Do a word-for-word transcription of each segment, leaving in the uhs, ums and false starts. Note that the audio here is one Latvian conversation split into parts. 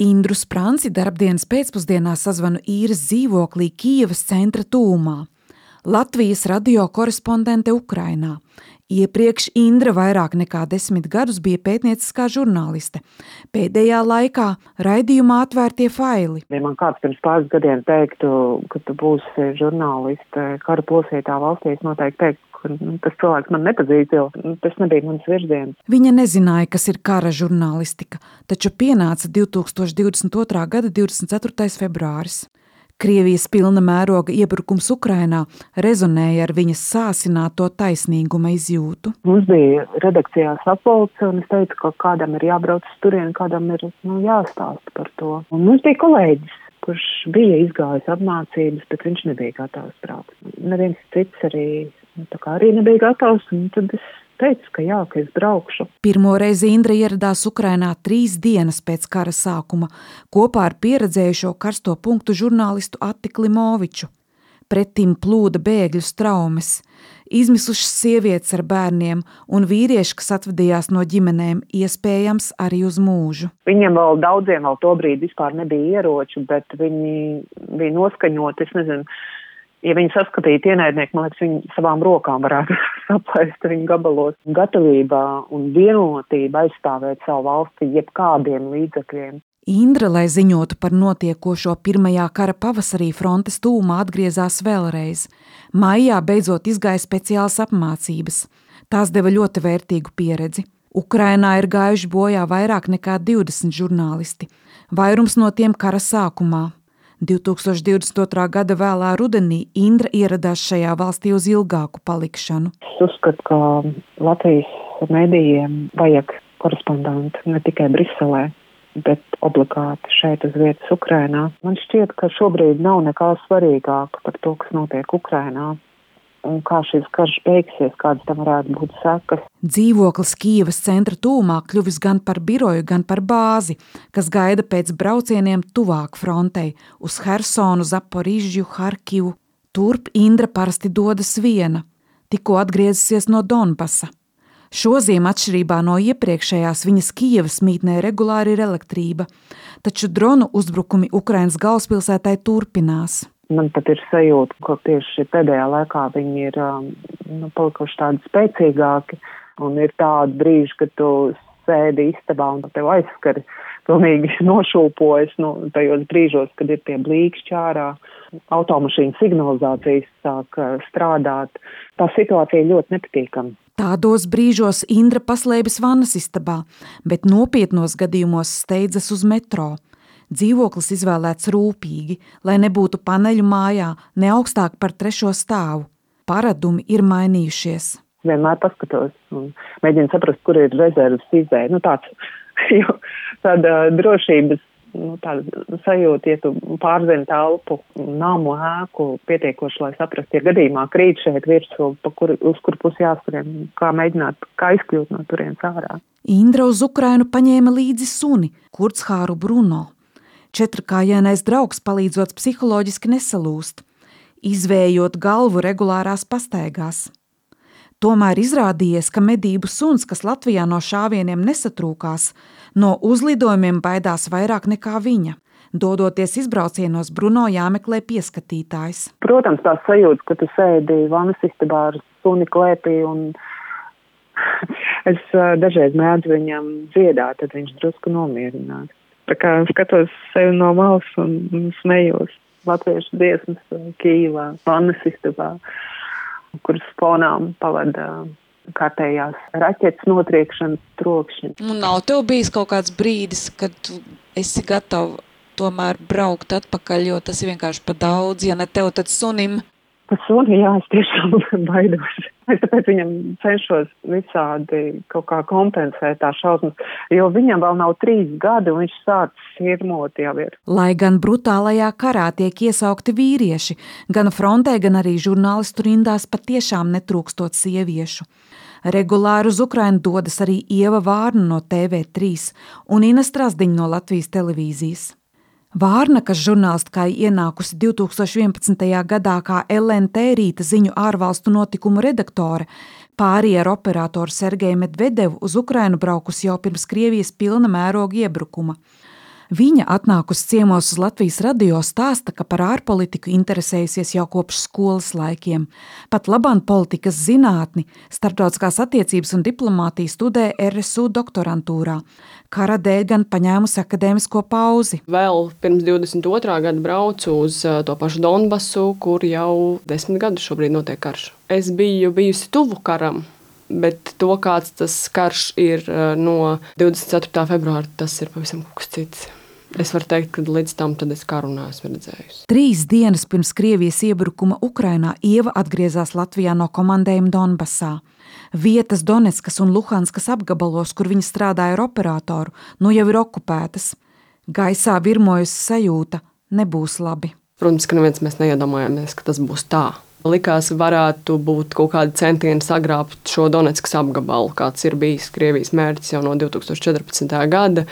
Indru Spranci darbdienas pēcpusdienā sazvanu īres dzīvoklī Kijevas centra tūmā. Latvijas radio korespondente Ukrainā. Iepriekš Indra vairāk nekā desmit gadus bija pētnieciskā žurnāliste. Pēdējā laikā raidījumā Atvērtie faili. Ja man kāds pirms pāris gadiem teiktu, ka tu būsi žurnāliste kara plosītā valstī, es noteikti teiktu, ka tas cilvēks man nepazīst, jo tas nebija mans virziens. Viņa nezināja, kas ir kara žurnālistika, taču pienāca divtūkstoš divdesmit otrā gada divdesmit ceturtais februāris. Krievijas pilna mēroga iebrukums Ukrainā rezonēja ar viņas sāsināto taisnīguma izjūtu. Mums bija redakcijā sapulce, un es teicu, ka kādam ir jābrauc uz turieni, kādam ir nu, jāstāsta par to. Un mums bija kolēģis, kurš bija izgājis apmācības, bet viņš nebija gatavs braukt. Neviens cits arī, nu, tā kā arī nebija gatavs, un tad es teicu, ka jā, ka es braukšu. Pirmo reizi Indra ieradās Ukrainā trīs dienas pēc kara sākuma, kopā ar pieredzējušo karsto punktu žurnālistu Atti Klimoviču. Pretim plūda bēgļu straumes, izmisušas sievietes ar bērniem un vīrieši, kas atvadījās no ģimenēm, iespējams arī uz mūžu. Viņiem vēl daudziem vēl tobrīd vispār nebija ieroču, bet viņi bija noskaņoti, es nezinu, ja viņi saskatītu ienaidnieku, man liekas, viņi savām rokām varētu saplaist viņu gabalos. Gatavībā un vienotība aizstāvēt savu valsti jebkādiem līdzekļiem. Indra, lai ziņotu par notiekošo pirmajā kara pavasarī frontes tūmā, atgriezās vēlreiz. Maijā beidzot izgāja speciālas apmācības. Tās deva ļoti vērtīgu pieredzi. Ukrainā ir gājuši bojā vairāk nekā divdesmit žurnālisti. Vairums no tiem kara sākumā. divtūkstoš divdesmit otrā gada vēlā rudenī Indra ieradās šajā valstī uz ilgāku palikšanu. Es uzskatu, ka Latvijas medijiem vajag korespondentu ne tikai Briselē, bet obligāti šeit uz vietas Ukrainā. Man šķiet, ka šobrīd nav nekā svarīgāk par to, kas notiek Ukrainā. Un kā šis karš beigsies, kādas tam varētu būt sekas. Dzīvoklis Kijevas centra tūmā kļuvis gan par biroju, gan par bāzi, kas gaida pēc braucieniem tuvāk frontei uz Hersonu, Zaporižju, Harkivu. Turp Indra parasti dodas viena, tikko atgriezusies no Donbasa. Šoziem atšķirībā no iepriekšējās viņas Kijevas mītnē regulāri ir elektrība, taču dronu uzbrukumi Ukrainas galvaspilsētai turpinās. Man pat ir sajūta, ka tieši pēdējā laikā viņi ir nu, palikuši tādi spēcīgāki, un ir tādi brīži, kad tu sēdi istabā un tev aizskari pilnīgi nošūpojas nu, tajos brīžos, kad ir tie blīkšķi ārā, automašīnu signalizācijas sāk strādāt. Tā situācija ļoti nepatīkama. Tādos brīžos Indra paslēpjas vannas istabā, bet nopietnos gadījumos steidzas uz metro. Dzīvoklis izvēlēts rūpīgi, lai nebūtu paneļu mājā, ne augstāk par trešo stāvu. Paradumi ir mainījušies. Vienmēr paskatos un mēģinu saprast, kur ir rezerves izēja. Nu tāds, jo tāda drošības, nu tāda sajūta, ja tu pārzini telpu, namu, ēku pietiekoši, lai saprast, ja gadījumā krīt šeit virsū, pa kur, uz kur pusi jāskrien, kā mēģināt, kā izkļūt no turienes ārā. Indra uz Ukrainu paņēma līdzi suni, Kurckhāru Bruno. Četrkājainais draugs palīdzot psiholoģiski nesalūst, izvējot galvu regulārās pastaigās. Tomēr izrādījies, ka medību suns, kas Latvijā no šāvieniem nesatrūkās, no uzlidojumiem baidās vairāk nekā viņa. Dodoties izbraucienos, Bruno jāmeklē pieskatītājs. Protams, tā sajūta, ka tu sēdi vannas istabā ar suni klēpī un es dažreiz mēdzu viņam dziedāt, tad viņš drusku nomierinās. Tā kā skatos sevi no malas un, un smējos latviešu dziesmas Kijivā, vannas istabā, kuras fonām pavada kārtējās raķetes notriekšanas trokšņi. Nu, nav tev bijis kaut kāds brīdis, kad tu esi gatava tomēr braukt atpakaļ, jo tas ir vienkārši pa daudz, ja ne tev, tad sunim? Pa suni, jā, es tiešām baidos. Es tāpēc viņam cenšos visādi kaut kā kompensēt tā šausmas, jo viņam vēl nav trīs gadi un viņš sācis sirmot jau ir. Lai gan brutālajā karā tiek iesaukti vīrieši, gan frontē, gan arī žurnālistu rindās patiešām netrūkstot sieviešu. Regulāri uz Ukrainu dodas arī Ieva Vārna no T V trīs un Ina Strazdiņa no Latvijas televīzijas. Vārna, kas žurnālistkai ienākusi divtūkstoš vienpadsmitajā gadā kā L N T rīta ziņu ārvalstu notikumu redaktore, pārī ar operatoru Sergeju Medvedevu uz Ukrainu braukusi jau pirms Krievijas pilna mēroga iebrukuma. Viņa atnākusi ciemos uz Latvijas radio stāsta, ka par ārpolitiku interesējusies jau kopš skolas laikiem. Pat labāk politikas zinātni, starptautiskās attiecības un diplomātiju studē R S U doktorantūrā. Kara dēļ gan paņēmusi akadēmisko pauzi. Vēl pirms divdesmit otrā gada braucu uz to pašu Donbasu, kur jau desmit gadus šobrīd notiek karš. Es biju bijusi tuvu karam, bet to, kāds tas karš ir no divdesmit ceturtā februāra, tas ir pavisam kaut kas cits. Es varu teikt, ka līdz tam tad es karu neesmu redzējusi. Trīs dienas pirms Krievijas iebrukuma Ukrainā Ieva atgriezās Latvijā no komandējuma Donbasā. Vietas Donetskas un Luhanskas apgabalos, kur viņa strādāja ar operatoru, nu jau ir okupētas. Gaisā virmojusi sajūta – nebūs labi. Protams, ka neviens mēs neiedomājamies, ka tas būs tā. Likās, varētu būt kaut kādi centieni sagrābt šo Donetskas apgabalu, kāds ir bijis Krievijas mērķis jau no divtūkstoš četrpadsmitā gada.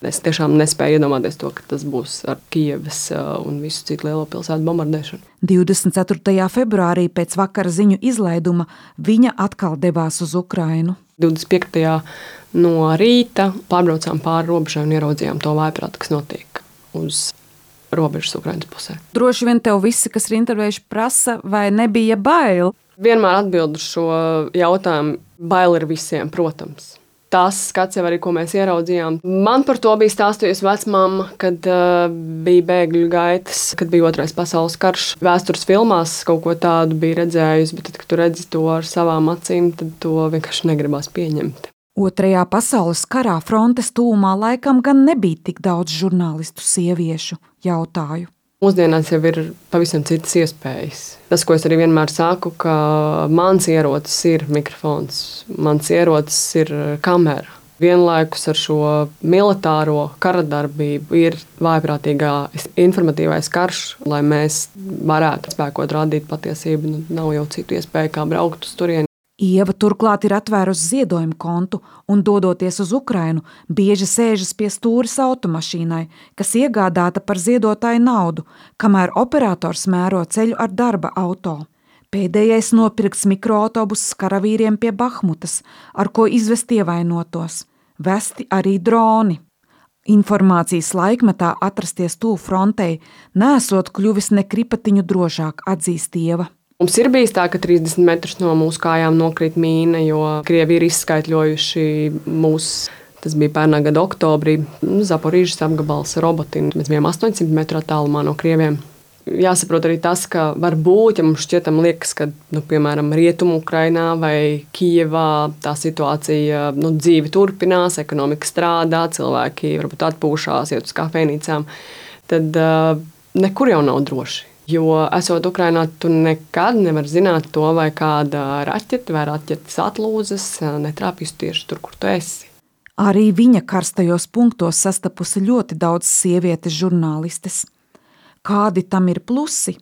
Es tiešām nespēju iedomāties to, ka tas būs ar Kijevas un visu citu lielo pilsētu bombardēšanu. divdesmit ceturtajā februārī pēc vakara ziņu izlaiduma viņa atkal devās uz Ukrainu. divdesmit piektajā no rīta pārbraucām pāri robežai un ieraudzījām to vājprātu, kas notiek uz robežas Ukrainas pusē. Droši vien tev visi, kas ir intervējuši, prasa, vai nebija bail? Vienmēr atbildu šo jautājumu. Bail ir visiem, protams. Tas skats jau arī, ko mēs ieraudzījām. Man par to bija stāstījusi vecmāma, kad uh, bija bēgļu gaitas, kad bija otrais pasaules karš. Vēstures filmās kaut ko tādu bija redzējusi, bet tad, kad tu redzi to ar savām acīm, tad to vienkārši negribās pieņemt. Otrajā pasaules karā frontes tūmā laikam gan nebija tik daudz žurnālistu sieviešu, jautāju. Mūsdienās jau ir pavisam citas iespējas. Tas, ko es arī vienmēr saku, ka mans ierocis ir mikrofons, mans ierocis ir kamera. Vienlaikus ar šo militāro karadarbību ir vājprātīgā informatīvais karš, lai mēs varētu spēkot rādīt patiesību. Nav jau citu iespēju, kā braukt uz turieni. Ieva turklāt ir atvērusi ziedojumu kontu un, dodoties uz Ukrainu, bieži sēžas pie stūres automašīnai, kas iegādāta par ziedotāju naudu, kamēr operators mēro ceļu ar darba auto. Pēdējais nopirks mikroautobusus karavīriem pie Bahmutas, ar ko izvest ievainotos. Vesti arī droni. Informācijas laikmetā atrasties tuvu frontei nesot kļuvis ne kripatiņu drošāk, atzīst Ieva. Mums ir bijis tā, ka trīsdesmit metrus no mūsu kājām nokrīt mīna, jo Krievi ir izskaitļojuši mūs. Tas bija pērnā gada oktobrī. Zaporīžas apgabals Robotin. Mēs bijām astoņsimt metru attālumā no Krieviem. Jāsaprot arī tas, ka varbūt, ja mums šķietam liekas, ka, nu, piemēram, Rietumu Ukrainā vai Kijevā tā situācija, nu, dzīve turpinās, ekonomika strādā, cilvēki varbūt atpūšās, iet uz kafejnīcām, tad uh, nekur jau nav droši. Jo, esot Ukrainā, tu nekad nevar zināt to, vai kāda raķete vai raķetes atlūzas netrāpīs tieši tur, kur tu esi. Arī viņa karstajos punktos sastapusi ļoti daudz sievietes žurnālistes. Kādi tam ir plusi?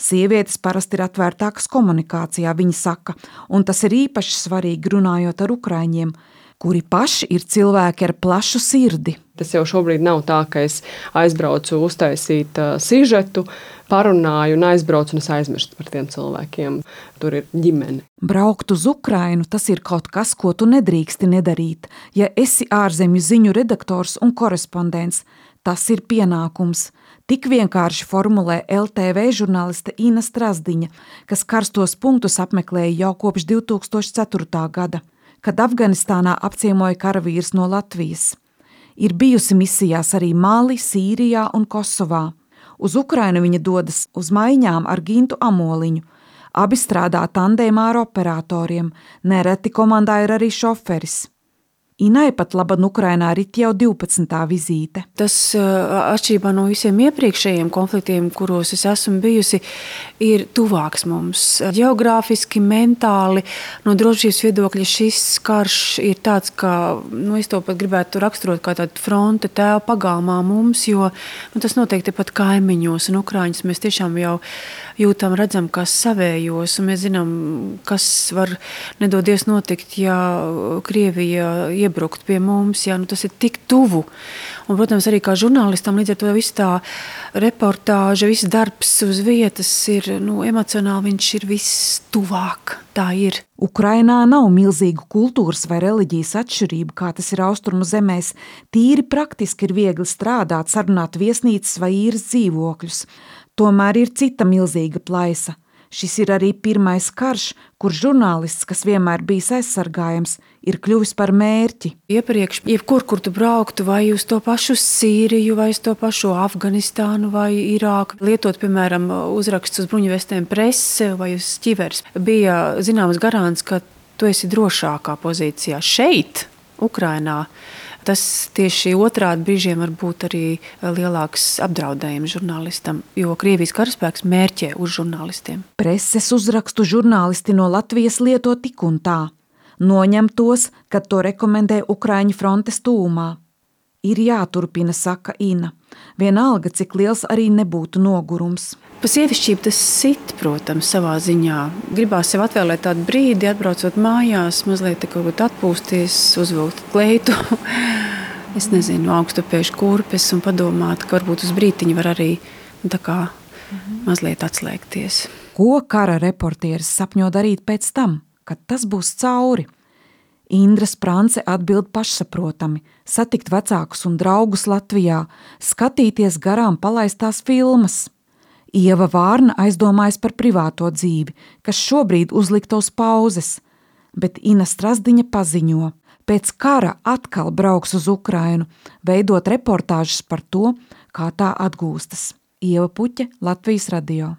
Sievietes parasti ir atvērtākas komunikācijā, viņa saka, un tas ir īpaši svarīgi runājot ar ukraiņiem, kuri paši ir cilvēki ar plašu sirdi. Tas jau šobrīd nav tā, ka es aizbraucu uztaisīt uh, sižetu, parunāju un aizbraucu un es aizmirstu par tiem cilvēkiem. Tur ir ģimene. Braukt uz Ukrainu, tas ir kaut kas, ko tu nedrīksti nedarīt. Ja esi ārzemju ziņu redaktors un korespondents, tas ir pienākums. Tik vienkārši formulē L T V žurnāliste Ina Strazdiņa, kas karstos punktus apmeklēja jau kopš divtūkstoš ceturtā gada, kad Afganistānā apciemoja karavīrs no Latvijas. Ir bijusi misijās arī Mali, Sīrijā un Kosovā. Uz Ukrainu viņa dodas uz maiņām ar Gintu Amoliņu. Abi strādā tandēmā ar operatoriem, nereti komandā ir arī šoferis. Inai pat laban Ukrainā rit jau divpadsmitā vizīte. Tas atšķirībā no visiem iepriekšējiem konfliktiem, kuros es esmu bijusi, ir tuvāks mums. Geogrāfiski, mentāli, no drošības viedokļa šis karš ir tāds, ka, nu, es to pat gribētu raksturot kā tādu fronte tēvu pagalmā mums, jo nu, tas notiek tepat kaimiņos, un Ukraiņus mēs tiešām jau jūtam, redzam, kas savējos, un mēs zinām, kas var nedodies notikt, ja Krievija iebrukt pie mums, jā, nu tas ir tik tuvu. Un, protams, arī kā žurnālistam līdz ar to viss tā reportāža, viss darbs uz vietas ir, nu, emocionāli viņš ir viss tuvāk, tā ir. Ukrainā nav milzīgu kultūras vai reliģijas atšķirību, kā tas ir austrumu zemēs. Tīri praktiski ir viegli strādāt, sarunāt viesnīcas vai īres dzīvokļus. Tomēr ir cita milzīga plaisa. Šis ir arī pirmais karš, kur žurnālists, kas vienmēr bijis aizsargājams, ir kļuvis par mērķi. Iepriekš, jebkur, kur tu brauktu, vai uz to pašu Sīriju, vai uz to pašu Afganistānu, vai Irāku, lietot, piemēram, uzrakstus uz bruņuvestēm prese vai uz ķivers, bija zināms garants, ka tu esi drošākā pozīcijā. Šeit, Ukrainā, tas tieši otrādi brīžiem var būt arī lielāks apdraudējums žurnālistam, jo Krievijas karaspēks mērķē uz žurnālistiem. Preses uzrakstu žurnālisti no Latvijas lieto tik un tā. Noņem tos, kad to rekomendē Ukraiņu frontes tūmā. Ir jāturpina, saka Ina. Vienalga, cik liels arī nebūtu nogurums. Pa sievišķību tas sit, protams, savā ziņā. Gribās sev atvēlēt tādu brīdi, atbraucot mājās, mazliet kaut ko atpūsties, uzvilkt kleitu. Es nezinu, augstupēšu kurpes un padomāt, ka varbūt uz brītiņu var arī tā kā mazliet atslēgties. Ko kara reportieris sapņo darīt pēc tam, kad tas būs cauri? Indra Sprance atbild pašsaprotami, satikt vecākus un draugus Latvijā, skatīties garām palaistās filmas. Ieva Vārna aizdomājas par privāto dzīvi, kas šobrīd uzlikta uz pauzes, bet Ina Strasdiņa paziņo, pēc kara atkal brauks uz Ukrainu, veidot reportāžas par to, kā tā atgūstas. Ieva Puķe, Latvijas radio.